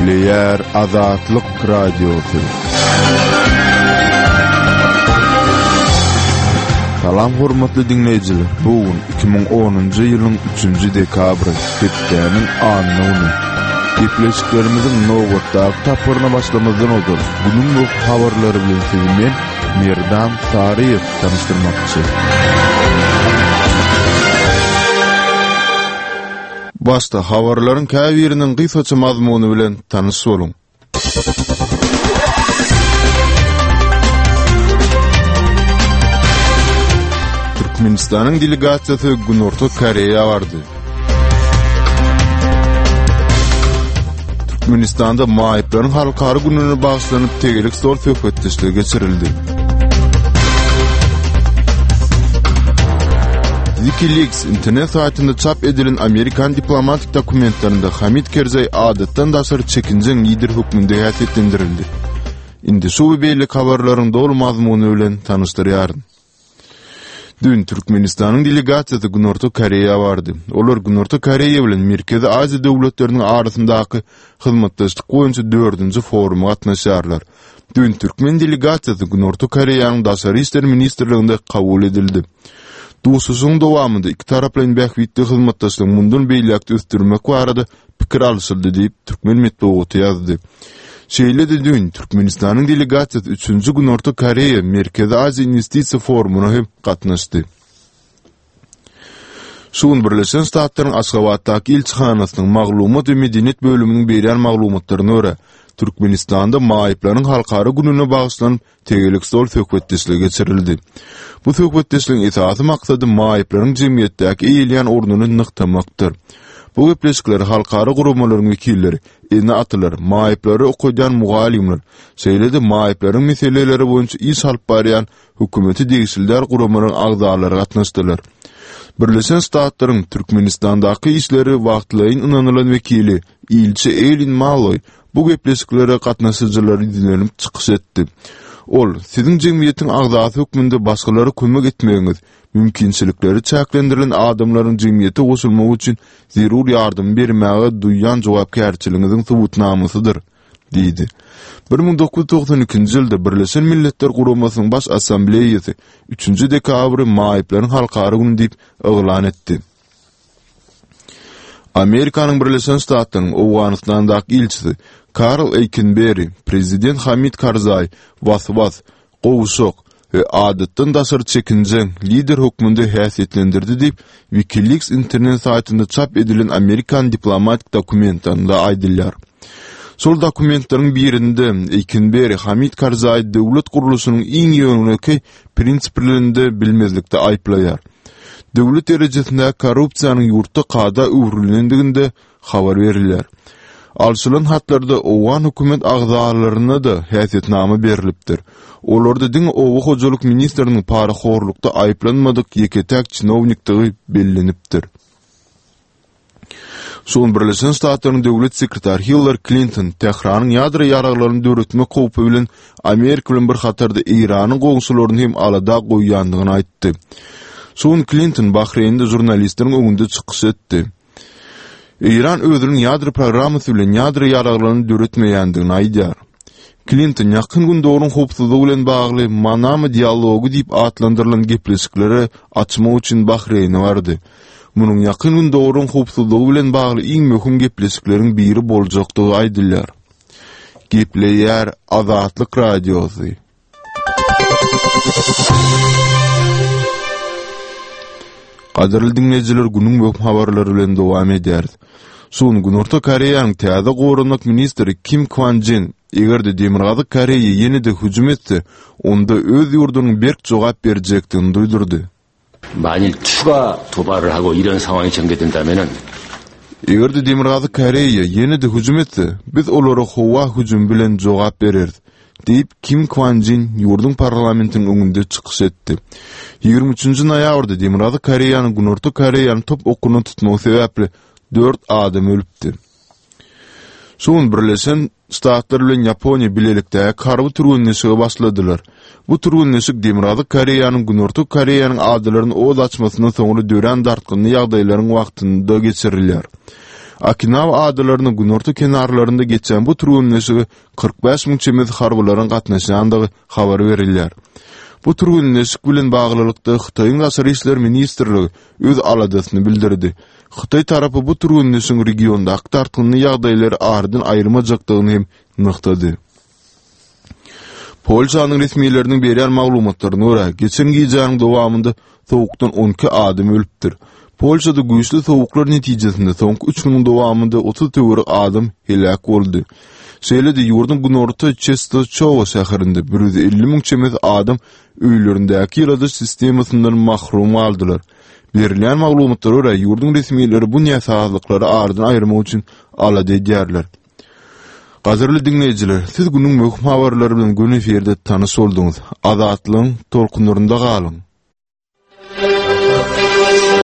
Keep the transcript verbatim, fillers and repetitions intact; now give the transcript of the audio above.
Gepleýär Azatlyk Radiosy. Salam hormatly diňleýjiler. Bu gün iki müň onunjy ýylyň üçünji dekabry, hepdäniň anna güni. Gepleşiklerimiziň nobatdaky tapgyryna başlamazdan ozal, günüň möhüm habarlary bilen sizi men, Merdan Saryýew tanyşdyrmakçy. Başda habarlaryň käbiriniň gysgaça mazmuny bilen tanyş boluň. Türkmenistanyň delegasiýasy Günorta Koreýa bardy. Türkmenistanda maýyplaryň halkara gününe bagyşlanyp tegelek stol söhbetdeşligi geçirildi. WikiLeaks internet saýtynda çap edilen amerikan diplomatik dokumentlerinde Hamid Kerzaý adatdan daşary çekinjeň lider hökmünde häsiýetlendirildi. Indi şu we beýleki habarlaryň doly mazmuny bilen tanyşdyrýaryn. Dün Türkmenistanyň delegasiýasy Günorta Koreýa bardy. Olar Günorta Koreýa bilen Merkezi Aziýa döwletleriniň arasyndaky hyzmatdaşlyk boýunça dördünji foruma gatnaşýarlar. Dün türkmen delegasiýasy Günorta Koreýanyň Daşary işler ministrliginde kabul edildi. Duşuşygyň dowamynda ikitaraplaýyn bähbitli hyzmatdaşlygy mundan beýläk-de ösdürmek barada pikir alşyldy diýip, türkmen metbugaty ýazdy. Şeýle-de düýn Türkmenistanyň delegasiýasy üçünji Günorta Koreýa, Merkezi Aziýa inwestisiýa forumyna hem gatnaşdy. Şu gün Birleşen Ştatlaryň Aşgabatdaky ilçihanasynyň maglumat we medeniýet bölüminiň berýän maglumatlaryna görä, Türkmenistanda maýyplaryň halkara gününe bagyşlanyp tegelek stol söhbetdeşligi geçirildi. Bu söhbetdeşligiň esasy maksady maýyplaryň jemgyýetdäki eýeleýän ornuny nygtamakdyr. Bu gepleşiklere halkara guramalaryň wekilleri, ene-atalar, maýyplary okadýan mugallymlar, şeýle-de maýyplaryň meseleleri boýunça iş alyp barýan hökümete degişli däl guramalaryň agzalary gatnaşdylar. Birleşen Ştatlaryň Türkmenistandaky işleri wagtlaýyn ynanylan wekili, ilçi Eýlin Malloý bu gepleşiklere gatnaşyjylara ýüzlenip çykyş etdi. Ol, Siziň jemgyýetiň agzasy hökmünde başgalara kömek etmegiňiz, mümkinçilikleri çäklendirilen adamlaryň jemgyýete goşulmagy üçin zerur ýardamy bermäge duýýan jogapkärçiligiňiziň subutnamasydyr diýdi. Bir müň dokuz ýüz togsan ikinji ýylda Birleşen Milletler Guramasynyň Baş Assambleýasy üçünji dekabry Maýyplaryň halkara güni diýip yglan etdi. Amerikanyň Birleşen Ştatlarynyň Owganystandaky ilçisi Karl Eýkenberi prezident Hamid Karzaý was-was, gowşak we adatdan daşary çekinjeň lider hökmünde häsiýetlendirdi diýip, WikiLeaks internet saýtynda çap edilen amerikan diplomatik dokumentlerinde aýdylýar. Şol dokumentleriň birinde Eýkenberi Hamid Karzaý döwlet gurluşynyň iň ýönekeý prinsiplerini bilmezlikde aýyplaýar. Döwlet derejesindäki korrupsiýanyň ýurtda kada öwrülendiginde habar berilýär. Alşylan hatlarda owgan hökümet agzalaryna-da häsiýetnama berlipdir. Olarda diňe oba hojalyk ministriniň parahorlukda aýyplanmadyk ýeke-täk çinownikdigi bellenipdir. Şu gün Birleşen Ştatlaryň döwlet sekretary Hillari Klinton Tähranyň ýadro ýaraglaryny döretmek howpy bilen Amerika bilen bir hatarda Eýranyň goňşularyny hem alada goýýandygyny aýtdy. Şu gün Klinton Bahreýnde žurnalistleriň öňünde çykyş etdi. Eýran özüniň ýadro programmasy bilen ýadro ýaraglaryny döretmeýändigini aýdýar. Klinton Ýakyn Gündogaryň howpsuzlygy bilen bagly Manama dialogy diýip atlandyrylan gepleşikleri açmak üçin Bahreýne bardy. Munuň Ýakyn Gündogaryň howpsuzlygy bilen bagly iň möhüm gepleşikleriň biri boljakdygy aýdylýar. Gepleýär Azatlyk Radiosy. Gadyrly diňleýjiler, günüň möhüm habarlary bilen dowam edýäris. Şu gün Günorta Koreýanyň täze goranmak ministri Kim Kwan Jin, eger-de Demirgazyk Koreýa ýene-de hüjüm etse, onda öz ýurdunyň berk jogap berjekdigini duýdurdy. 만일 추가 도발을 하고 이런 상황이 전개된다면은 Eger-de Demirgazyk Koreýa ýene-de hüjüm etse, biz olara howa hüjümi bilen jogap bereris, diýip, Kim Kwan Jin ýurduň parlamentiniň öňünde çykyş etdi. Ýigrimi üçünji noýabrda Demirgazyk Koreýanyň Günorta Koreýany top okuna tutmagy sebäpli dört adam ölüpdi. Şu gün Birleşen Ştatlar bilen Ýaponiýa bilelikdäki harby türgenleşige başladylar. Bu türgenleşik Demirgazyk Koreýanyň Günorta Koreýanyň adalaryny oz açmasyndan soňra dörän dartgynly ýagdaýlaryň wagtynda geçirilýär. Okinawa adalarynyň günorta kenarlarynda geçýän bu türgenleşige kyrk bäş müň çemesi harbylaryň gatnaşýandygy habar berilýär. Bu türgenleşik bilen baglylykda Hytaýyň Daşary işler ministrligi öz aladasyny bildirdi. Hytaý tarapy bu türgenleşigiň regiondaky dartgynly ýagdaýlary aradan aýyrmajakdygyny hem nygtady. Polşanyň resmileriniň berýän maglumatlaryna görä, geçen gijäniň dowamynda sowukdan on iki adam ölüpdir. Polşada güýçli sowuklar netijesinde soňky üç günüň dowamynda otuz töweregi adam heläk boldy. Şeýle-de ýurduň günorta Çestoçowa şäherinde bir ýüz elli müň çemesi adam öýlerindäki ýyladyş sistemasyndan mahrum galdylar. Berilýän maglumatlara görä, ýurduň resmileri bu näsazlyklary aradan aýyrmak üçin alada edýärler. Gadyrly diňleýjiler, siz günüň möhüm habarlary bilen göni efirde tanyş bolduňyz. Azatlygyň tolkunlarynda galyň.